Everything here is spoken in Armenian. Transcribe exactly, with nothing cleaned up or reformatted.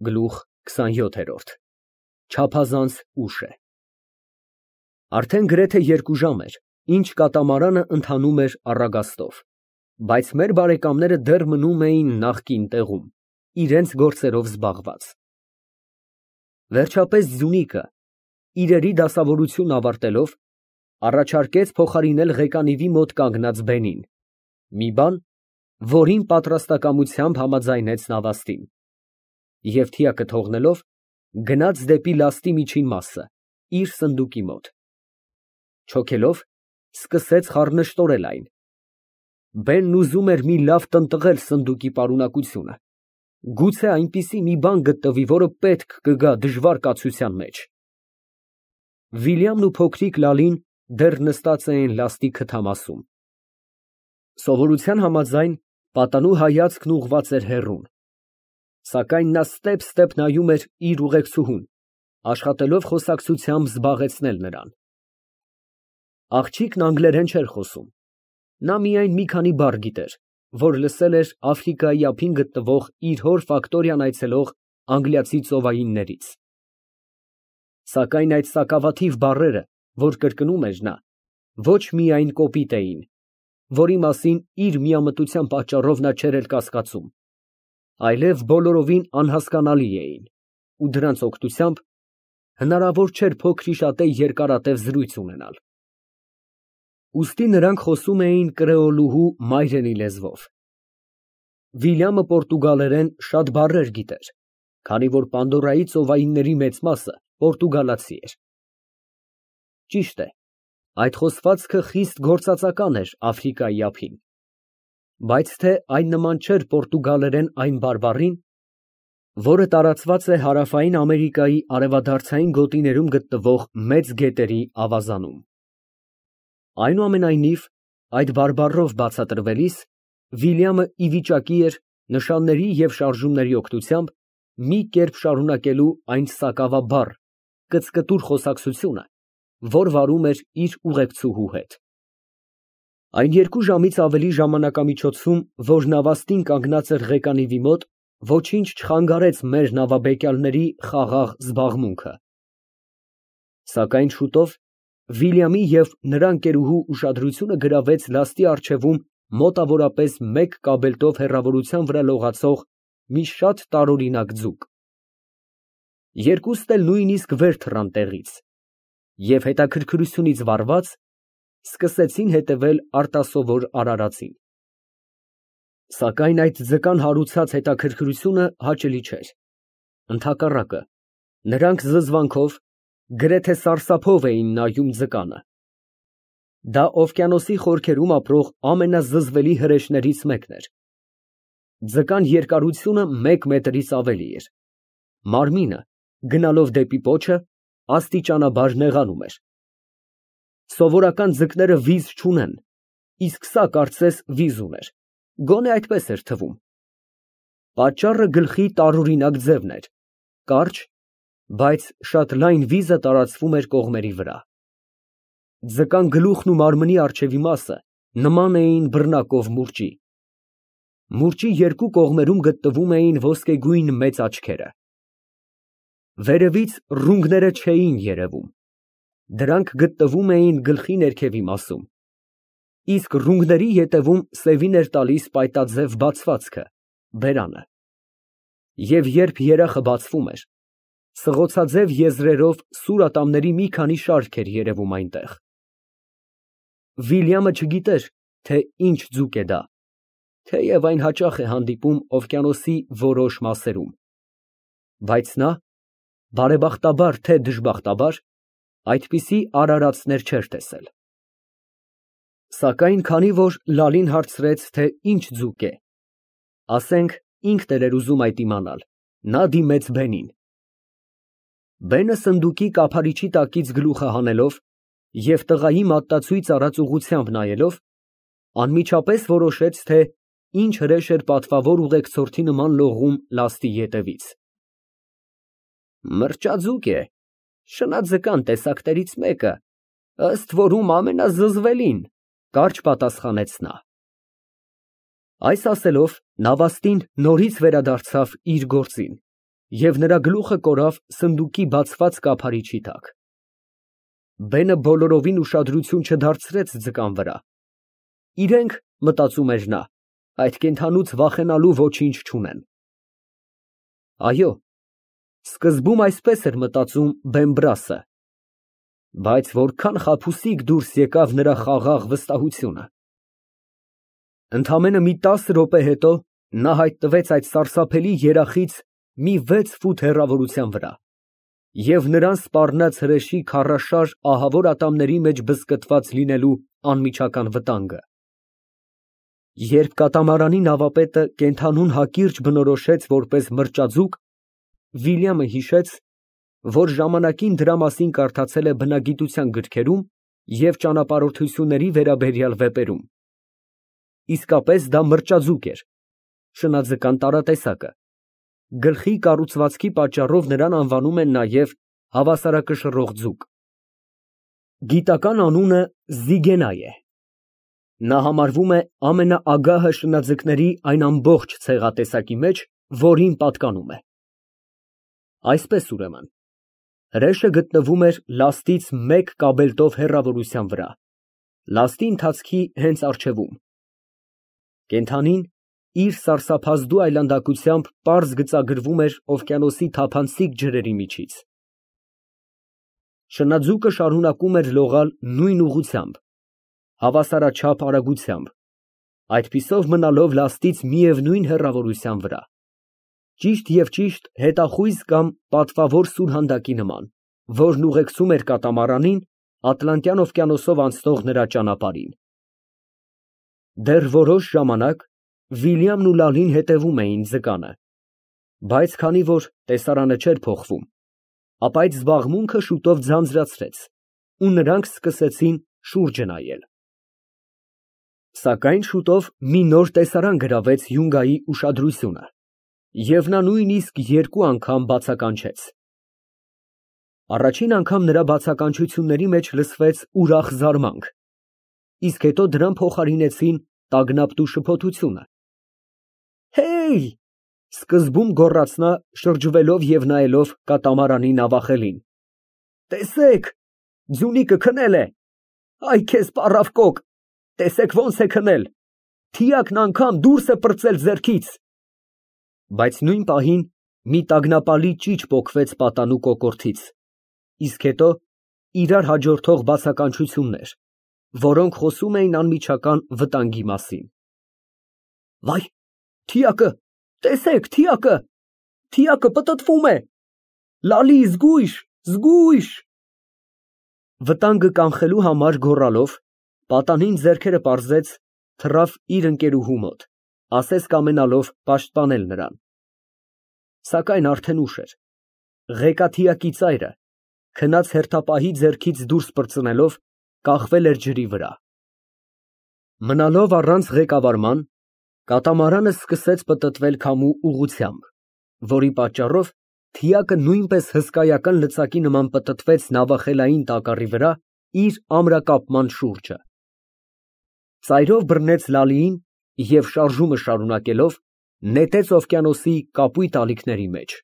Գլուխ քսանյոթ Չափազանց ուշ է։ Արդեն գրեթե երկու ժամ էր, ինչ կատամարանը ընթանում էր առագաստով, բայց մեր բարեկամները դեռ մնում էին նախկին տեղում, իրենց գործերով զբաղված։ Վերջապես Ձյունիկը, իրերի դասավորությունն ավարտելով, առաջարկեց փոխարինել ղեկանիվի մոտ կանգնած բենին, մի բան, որին պատրաստակամությամբ համաձայնեց նավաստին, և թիակը թողնելով, գնաց դեպի լաստի միջին մասը, իր սնդուկի մոտ։ Չոքելով, սկսեց խառնշտորել այն։ Բենն ուզում էր մի լավ տնտղել սնդուկի պարունակությունը, գուցե այնպիսի մի բան գտնվի, որը պետք կգա դժվար կացության մեջ։ Վիլյամն ու փոքրիկ Լալին դեռ նստած էին լաստի քթամասում։ Սովորության համաձայն, պատանու հայացքն ուղղված էր հեռուն, սակայն նա ստեպ֊ստեպ նայում էր իր ուղեկցուհուն, աշխատելով խոսակցությամբ զբաղեցնել նրան։ Աղջիկն անգլերեն չէր խոսում, նա միայն մի քանի բառ գիտեր, որ լսել էր Աֆրիկայի ափին գտնվող իր հոր ֆակտորիան այցելող անգլիացի ծովայիններից։ Սակայն այդ սակավաթիվ բառերը, որ կրկնում էր նա, ոչ միայն կոպիտ էին, որի մասին իր միամտության պատճառով նա չէր էլ կասկածում, այլև բոլորովին անհասկանալի էին, ու դրանց օգնությամբ հնարավոր չէր փոքրիշատե երկարատև զրույց ունենալ։ Ուստի նրանք խոսում էին կրեոլուհու մայրենի լեզվով։ Վիլյամը պորտուգալերեն շատ բառեր գիտեր, քանի որ Պանդորայի ծովայինների մեծ մասը պորտուգալացի էր։ Ճիշտ է, այդ խոսվածքը խիստ գործածական էր Աֆրիկայի ափին, բայց թե այն նման չէր պորտուգալերեն այն բարբառին, որը տարածված է Հարավային Ամերիկայի արևադարձային գոտիներում գտնվող մեծ գետերի ավազանում։ Այնուամենայնիվ, այդ բարբառով բացատրվելիս, Վիլյամը ի վիճակի էր նշանների և շարժումների օգնությամբ մի կերպ շարունակելու այն սակավաբառ, կծկտուր խոսակցությունը, որ վարում էր իր ուղեկցուհու հետ։ Այն երկու ժամից ավելի ժամանակամիջոցում, որ նավաստին կանգնած էր ղեկանիվի մոտ, ոչինչ չխանգարեց մեր նավաբեկյալների խաղաղ զբաղմունքը։ Սակայն շուտով Վիլյամի և նրա ընկերուհու ուշադրությունը գրավեց լաստի առջևում մոտավորապես մեկ կաբելտով հեռավորության վրա լողացող մի շատ տարօրինակ ձուկ։ Երկուսն էլ նույնիսկ վեր թռան տեղից և հետաքրքրությունից վառված, սկսեցին հետևել արտասովոր արարածին։ Սակայն այդ ձկան հարուցած հետաքրքրությունը հաճելի չէր, ընդհակառակը, նրանք զզվանքով, գրեթե սարսափով էին նայում ձկանը։ Դա օվկիանոսի խորքերում ապրող ամենազզվելի հրեշներից մեկն էր։ Ձկան երկարությունը մեկ մետրից ավելի էր։ Մարմինը, գնալով դեպի պոչը, աստիճանաբար նեղանում էր։ Սովորական ձկները վիզ չունեն, իսկ սա կարծես վիզ ուներ, գոնե այդպես էր թվում։ Պատճառը գլխի տարօրինակ ձևն էր, կարճ, բայց շատ լայն վիզը տարածվում էր կողմերի վրա։ Ձկան գլուխն ու մարմնի առջևի մասը նման էին բռնակով մուրճի։ Մուրճի երկու կողմերում գտնվում էին ոսկեգույն մեծ աչքերը։ Վերևից ռունգները չէին երևում, դրանք գտնվում էին գլխի ներքևի մասում, իսկ ռունգների ետևում սևին էր տալիս պայտաձև բացվածքը, բերանը։ Եվ երբ երախը բացվում էր, սղոցաձև եզրերով սուր ատամների մի քանի շարք էր երևում այնտեղ։ Վիլյամը չգիտեր, թե ինչ ձուկ է դա, թեև այն հաճախ է հանդիպում օվկիանոսի որոշ մասերում, բայց նա, բարեբախտաբար թե դժբախտաբար, այդպիսի արարածներ չէր տեսել։ Սակայն քանի որ Լալին հարցրեց, թե ինչ ձուկ է, ասենք ինքն էր ուզում այդ իմանալ, նա դիմեց բենին։ Բենը սնդուկի կափարիչի տակից գլուխը հանելով և տղայի մատնացույց արած ուղղությամբ նայելով, անմիջապես որոշեց, թե ինչ հրեշ էր պատվավոր ուղեկցորդի նման լողում լաստի ետևից։ Մրճաձուկ է, շնաձկան տեսակներից մեկը, ըստ որում ամենազզվելին, կարճ պատասխանեց նա։ Այս ասելով, նավաստին նորից վերադարձավ իր գործին և նրա գլուխը կորավ սնդուկի բացված կափարիչի տակ։ Բենը բոլորովին ուշադրություն չդարձրեց ձկան վրա։ Իրենք, մտածում էր նա, այդ կենդանուց վախենալու ոչինչ չունեն։ Այո, սկզբում այսպես էր մտածում Բեմբրասը, բայց որքան խաբուսիկ դուրս եկավ նրա խաղաղ վստահությունը։ Ընդամենը մի տասը րոպե հետո նա հայտնվեց այդ սարսափելի երախից մի վեց ֆուտ հեռավորության վրա և նրան սպառնաց հրեշի քարաշար ահավոր ատամների մեջ բզկտված լինելու անմիջական վտանգը։ Երբ կատամարանի նավապետը կենդանուն հակիրճ բնորոշեց որպես մրճաձուկ, Վիլյամը հիշեց, որ ժամանակին դրա մասին կարդացել է բնագիտության գրքերում և ճանապարհորդությունների վերաբերյալ վեպերում։ Իսկապես դա մրճաձուկ էր, շնաձկան տարատեսակը։ Գլխի կառուցվածքի պատճառով նրան անվանում են նաև հավասարակշռող ձուկ։ Գիտական անունը Զիգենայ է։ Նա համարվում է ամենաագահը շնաձկների այն ամբողջ ցեղատեսակի մեջ, որին պատկանում է։ Այսպես ուրեմն, հրեշը գտնվում էր լաստից մեկ կաբելտով հեռավորության վրա, լաստի ընթացքի հենց առջևում։ Կենդանին իր սարսափազդու այլանդակությամբ պարզ գծագրվում էր օվկիանոսի թափանցիկ ջրերի միջից։ Շնաձուկը շարունակում էր լողալ նույն ուղղությամբ, հավասարաչափ արագությամբ, այդպիսով մնալով լաստից միևնույն հեռավորության վրա, ճիշտ և ճիշտ հետախույզ կամ պատվավոր սուրհանդակի նման, որն ուղեկցում էր կատամարանին Ատլանտյան օվկիանոսով անցնող նրա ճանապարհին։ Դեռ որոշ ժամանակ Վիլյամն ու Լալին հետևում էին ձկանը, բայց քանի որ տեսարանը չէր փոխվում, ապա այդ զբաղմունքը շուտով ձանձրացրեց, ու նրանք սկսեցին շուրջը նայել։ Սակայն շուտով մի նոր տեսարան գրավեց Յունգայի ուշադրությունը, և նա նույնիսկ երկու անգամ բացականչեց։ Առաջին անգամ նրա բացականչությունների մեջ լսվեց ուրախ զարմանք, իսկ հետո դրան փոխարինեցին տագնապ ու շփոթությունը։ «Հեյ!» սկզբում գոռաց նա, շրջվելով և նայելով կատամարանի նավախելին։ «Տեսեք, ձյունիկը քնել է։ Այ քեզ պառավ կոկ, տեսեք ոնց է քնել, թիակն անգամ դուրս է պրծել ձեռքից»։ Բայց նույն պահին մի տագնապալի ճիչ պոկվեց պատանու կոկորդից, իսկ հետո իրար հաջորդող բացականչություններ, որոնք խոսում էին անմիջական վտանգի մասին։ «Վայ, թիակը, տեսեք, թիակը, թիակը պտտվում է, Լալի, զգույշ, զգույշ»։ Վտանգը կանխելու համար գոռալով, պատանին ձեռքերը պարզեց, թռավ իր ընկերուհու մոտ, ասես կամենալով պաշտպանել նրան։ Սակայն արդեն ուշ էր։ Ղեկաթիակի ծայրը, քնած հերթապահի ձեռքից դուրս պրծնելով, կախվել էր ջրի վրա։ Մնալով առանց ղեկավարման, կատամարանը սկսեց պտտվել քամու ուղղությամբ, որի պատճառով թիակը նույնպես հսկայական լծակի նման պտտվեց նավախելային տակառի վրա իր ամրակապման շուրջը։ Ծայրով բռնեց Լալիին և շարժումը շարունակելով նետեց օվկիանոսի կապույտ ալիքների մեջ։